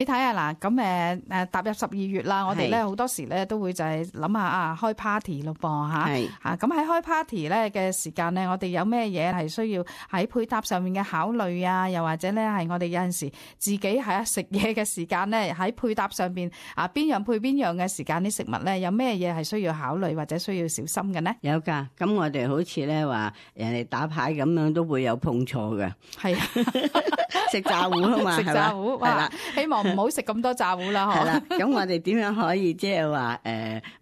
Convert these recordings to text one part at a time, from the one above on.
你睇下嗱，咁踏入12月啦，我哋咧好多時咧都會就係諗下開 party 咯噃嚇，咁喺開 party 咧嘅時間咧，我哋有咩嘢係需要喺配搭上面嘅考慮啊？又或者咧係我哋有陣時自己係食嘢嘅時間咧，喺配搭上邊邊樣配邊樣嘅時間啲食物咧，有咩嘢係需要考慮或者需要小心嘅呢？有㗎，咁我哋好似咧話人哋打牌咁樣都會有碰錯嘅，係食炸糊啊嘛，食炸糊係啦，希望唔好食咁多炸糊啦，係啦。咁我哋點樣可以即係話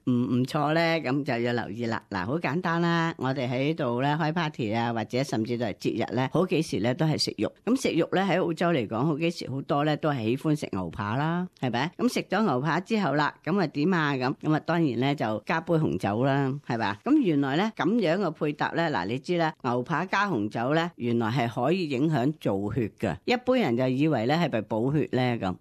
唔錯咧？咁就要留意啦。嗱，好簡單啦，我哋喺度咧開 party 啊，或者甚至到係節日咧，好幾時咧都係食肉。咁食肉咧喺澳洲嚟講，好幾時好多咧都係喜歡食牛扒啦，係咪？咁食咗牛扒之後啦，咁啊點啊咁啊，當然咧就加杯紅酒啦，係咪？咁原來咧咁樣嘅配搭咧，嗱你知啦，牛扒加紅酒咧，原來係可以影響造血嘅。一般人就以為咧係咪補血咧咁，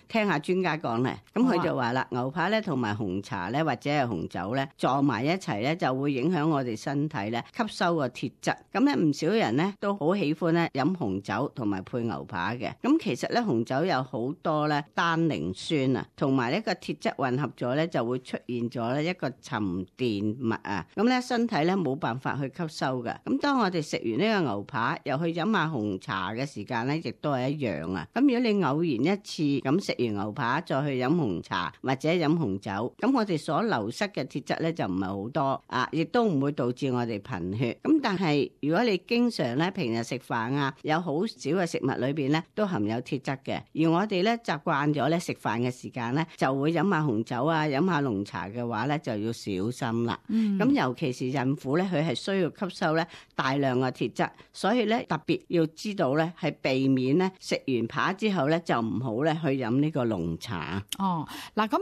聽下專家講咧，咁佢就話啦，牛扒咧同埋紅茶咧或者係紅酒咧撞埋一齊咧，就會影響我哋身體咧吸收個鐵質。咁咧唔少人咧都好喜歡咧飲紅酒同埋配牛扒嘅。咁其實咧紅酒有好多咧單寧酸啊，同埋呢個鐵質混合咗咧就會出現咗咧一個沉澱物啊。咁咧身體咧冇辦法去吸收嘅。咁當我哋食完呢個牛扒又去飲下紅茶嘅時間咧，亦都係一樣啊。咁如果你偶然一次咁食完牛扒再去飲紅茶或者飲紅酒，咁我哋所流失嘅鐵質咧就唔係好多啊，亦都唔會導致我哋貧血。咁但係如果你經常咧平日食飯啊，有好少嘅食物裏邊咧都含有鐵質嘅，而我哋咧習慣咗咧食飯嘅時間咧就會飲下紅酒啊，飲下濃茶嘅話咧就要小心啦。咁尤其是孕婦咧，佢係需要吸收咧大量嘅鐵質，所以咧特別要知道咧係避免咧食完扒之後咧就唔好咧去飲呢個濃茶。哦，嗱咁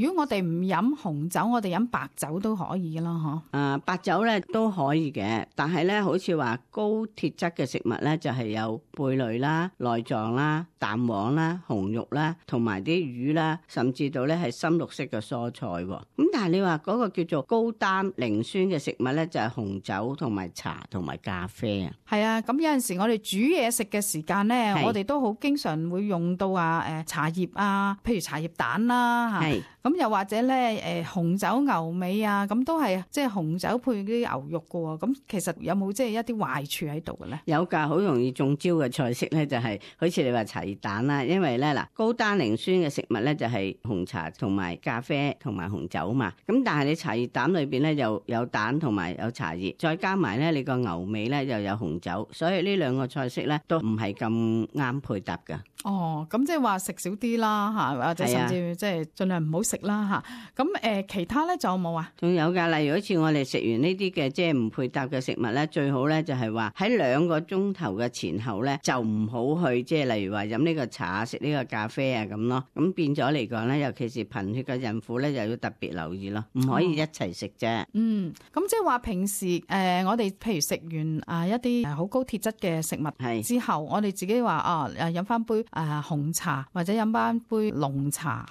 如果我哋唔飲紅酒，我哋飲白酒都可以啦，嗬。白酒咧都可以嘅，但係咧好似話高鐵質嘅食物咧就係有貝類啦、內臟啦、蛋黃啦、紅肉啦，同埋啲魚啦，甚至到咧係深綠色嘅蔬菜。咁但係你話嗰個叫做高單寧酸嘅食物咧，就係紅酒同埋茶同埋咖啡啊。係啊，咁有陣時我哋煮嘢食嘅時間咧，我哋都好經常會用到茶葉啊，譬如茶葉蛋啦嚇。咁又或者咧紅酒牛尾啊，咁都係即係紅酒配啲牛肉嘅喎。咁其實有冇即係一啲壞處喺度嘅咧？有㗎，好容易中招嘅菜式咧就係好似你話茶葉蛋啦，因為咧嗱高單寧酸嘅食物咧就係紅茶同埋咖啡同埋紅酒嘛。咁但係你茶葉蛋裏邊咧又有蛋同埋有茶葉，再加埋咧你個牛尾咧又有紅酒，所以呢兩個菜式咧都唔係咁啱配搭㗎。哦，咁即係話食少啲啦嚇，或者甚至即係盡量唔好食啦嚇。咁其他咧仲有冇啊？仲有㗎，例如好似我哋食完呢啲嘅即係唔配搭嘅食物咧，最好咧就係話喺2個鐘頭嘅前後咧，就唔好去即係例如話飲呢個茶、食呢個咖啡啊咁咯。咁變咗嚟講咧，尤其是貧血嘅孕婦咧，又要特別留意咯，唔可以一齊食啫。咁即係話平時我哋譬如食完一啲好高鐵質嘅食物之後，我哋自己話飲翻杯紅茶或者飲翻杯濃茶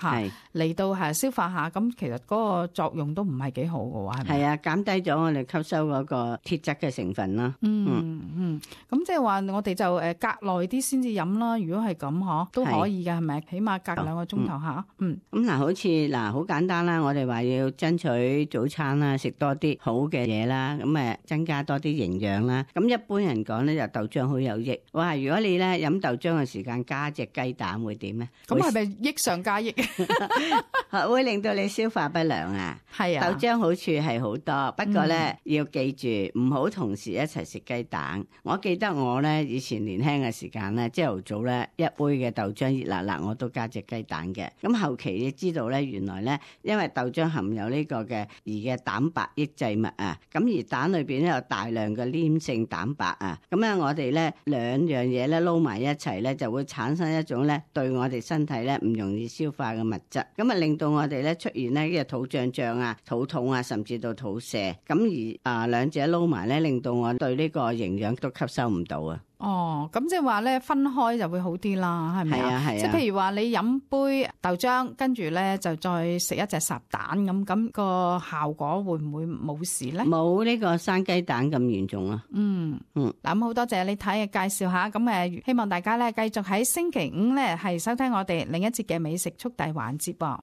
嚟到消化下，咁其實嗰個作用都唔係幾好嘅喎，係咪？係啊，減低咗我哋吸收嗰個鐵質嘅成分啦。咁即係話我哋就隔耐啲先至飲啦。如果係咁都可以㗎，係咪？起碼隔2個鐘頭下。咁嗱，好似好簡單啦，我哋話要爭取早餐啦，食多啲好嘅嘢啦，咁增加多啲營養啦。咁一般人講咧就豆漿好有益。哇！如果你咧飲豆漿嘅時間加隻雞蛋會點咧？咁係咪益上加益？會令到你消化不良啊！係啊，豆漿好處係好多，不過咧要記住唔好同時一齊食雞蛋。我記得我咧以前年輕嘅時間咧，朝頭早咧一杯嘅豆漿熱辣辣，我都加隻雞蛋嘅。咁後期你知道咧，原來咧因為豆漿含有呢個嘅嘅蛋白抑制物啊，咁而蛋裏邊咧有大量嘅黏性蛋白啊，咁咧我哋咧2樣嘢咧撈埋一齊咧，就會產生一種咧對我哋身體咧唔容易消化嘅物質，咁令到我哋咧出現呢個肚脹脹啊、肚痛啊，甚至到肚瀉。咁而兩者撈埋咧，令到我對呢個營養都吸收唔到啊。哦，咁即係話咧分開就會好啲啦，係咪啊？係啊。即係譬如話你飲杯豆漿，跟住咧就再食一隻烚蛋咁個效果會唔會冇事咧？冇呢個生雞蛋咁嚴重啊。嗱，咁好多謝你睇嘅介紹下，咁希望大家咧繼續喺星期五咧係收聽我哋另一節嘅美食速遞環節噃。